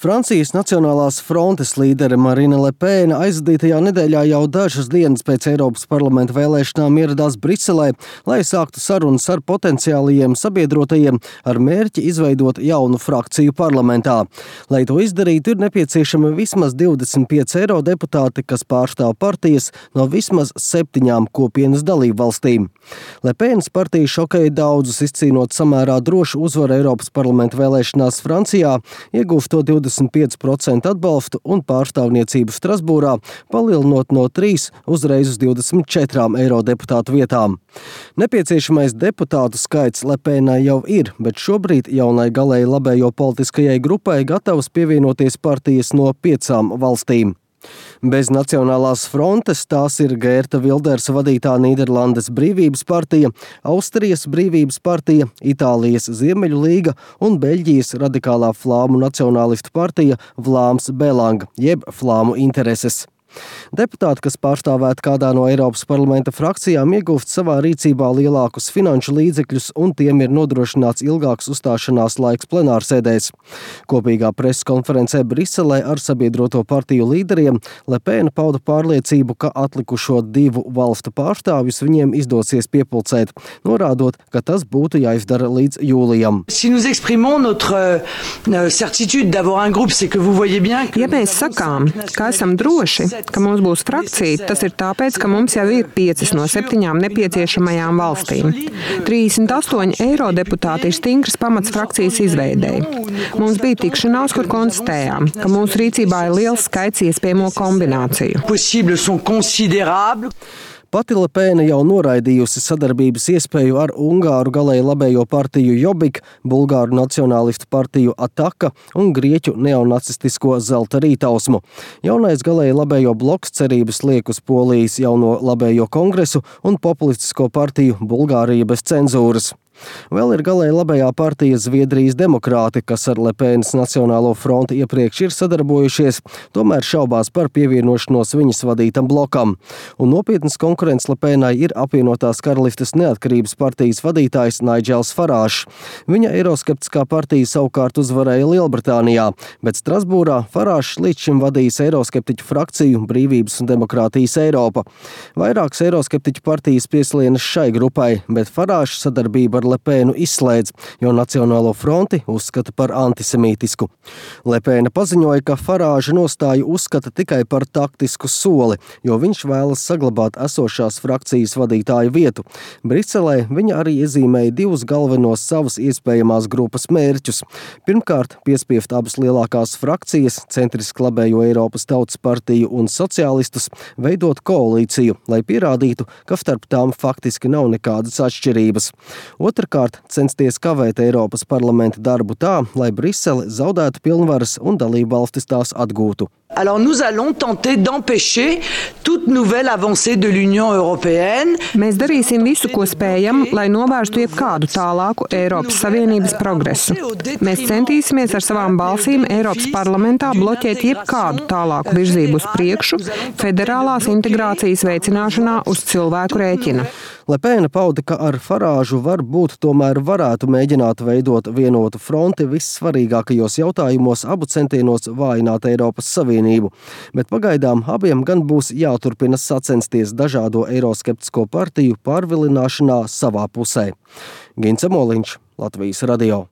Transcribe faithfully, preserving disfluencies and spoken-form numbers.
Francijas Nacionālās frontes līdere Marine Le Pen aizvadītajā nedēļā jau dažas dienas pēc Eiropas parlamenta vēlēšanām ieradās Briselē, lai sāktu sarunas ar potenciālajiem sabiedrotajiem ar mērķi izveidot jaunu frakciju parlamentā. Lai to izdarītu, ir nepieciešami vismaz divdesmit pieci eirodeputāti, kas pārstāv partijas no vismaz septiņām kopienas dalību valstīm. Le Penas partija šokēja daudzus, izcīnot samērā drošu uzvaru Eiropas parlamenta vēlēšanās Francijā, iegūstot divdesmit pieci procenti atbalstu un pārstāvniecību Strasbūrā, palielinot no trīs uzreiz uz divdesmit četrām eirodeputātu vietām. Nepieciešamais deputātu skaits Le Penai jau ir, bet šobrīd jaunai galēji labējo politiskajai grupai gatavas pievienoties partijas no piecām valstīm. Bez Nacionālās frontes tās ir Geerta Wildersa vadītā Nīderlandes Brīvības partija, Austrijas Brīvības partija, Itālijas Ziemeļu līga un Beļģijas radikālā flāmu nacionālistu partija Vlaams Belang, jeb Flāmu intereses. Deputāti, kas pārstāvēt kādā no Eiropas parlamenta frakcijām, iegūst savā rīcībā lielākus finanšu līdzekļus un tiem ir nodrošināts ilgāks uzstāšanās laiks plenārsēdēs. Kopīgā preses konferencē Briselē ar sabiedroto partiju līderiem Le Pen pauda pārliecību, ka atlikušo divu valstu pārstāvjus viņiem izdosies piepulcēt, norādot, ka tas būtu jāizdara līdz jūlijam. Si nous exprimons notre certitude d'avoir un groupe, c'est que vous voyez bien que... Ja mēs sakām, ka esam droši, ka mums būs frakcija, tas ir tāpēc, ka mums jau ir piecas no septiņām nepieciešamajām valstīm. trīsdesmit astoņi eirodeputāti ir stingrs pamats frakcijas izveidei. Mums bija tikšanās, kur konstatējām, ka mūsu rīcībā ir liels skaits iespējamo kombināciju. Pati Le Pena jau noraidījusi sadarbības iespēju ar Ungāru galēji labējo partiju Jobbik, Bulgāru nacionālistu partiju Ataka un Grieķu neonacistisko Zelta rītausmu. Jaunais galēji labējo bloks cerības liek uz Polijas jauno labējo kongresu un populistisko partiju Bulgārija bez cenzūras. Vēl ir galēji labējā partija Zviedrijas demokrāti, kas ar Le Penas Nacionālo fronti iepriekš ir sadarbojušies, tomēr šaubās par pievienošanos viņas vadītam blokam. Un nopietnas konkurents Le Penai ir apvienotās karalistes neatkarības partijas vadītājs Nigels Farāžs. Viņa eiroskeptiskā partija savukārt uzvarēja Lielbritānijā, bet Strasbūrā Farāžs līdz šim vadījis eiroskeptiķu frakciju Brīvības un demokrātijas Eiropa. Vairākas eiroskeptiķu partijas pieslienas šai grupai, bet Farāžs sadarbība ar Le Penu izslēdz, jo Nacionālo fronti uzskata par antisemītisku. Le Pena paziņoja, ka Farāža nostāju uzskata tikai par taktisku soli, jo viņš vēlas saglabāt esošās frakcijas vadītāju vietu. Briselē viņa arī iezīmēja divus galvenos savas iespējamās grupas mērķus. Pirmkārt, piespiest abas lielākās frakcijas, centriski labējo Eiropas Tautas partiju un sociālistus, veidot koalīciju, lai pierādītu, ka starp tām faktiski nav nekādas atšķirības. Otrkārt, censties kavēt Eiropas parlamenta darbu tā, lai Brisele zaudētu pilnvaras un dalībvalstis tās atgūtu. Alors nous allons tenter d'empêcher toute nouvelle avancée de l'Union européenne. Mēs darīsim visu, ko spējam, lai novērstu jebkādu tālāku Eiropas Savienības progresu. Mēs centīsimies ar savām balsīm Eiropas parlamentā bloķēt jebkādu tālāku virzību uz priekšu federālās integrācijas veicināšanā uz cilvēku rēķina. Le Pena pauda, ka ar Farāžu varbūt tomēr varētu mēģināt veidot vienotu fronti vissvarīgākajos jautājumos abu centienos vājināt Eiropas Savienību, bet pagaidām abiem gan būs jāturpina sacensties dažādo eiroskeptisko partiju pārvilināšanā savā pusē. Gints Emoliņš, Latvijas radio.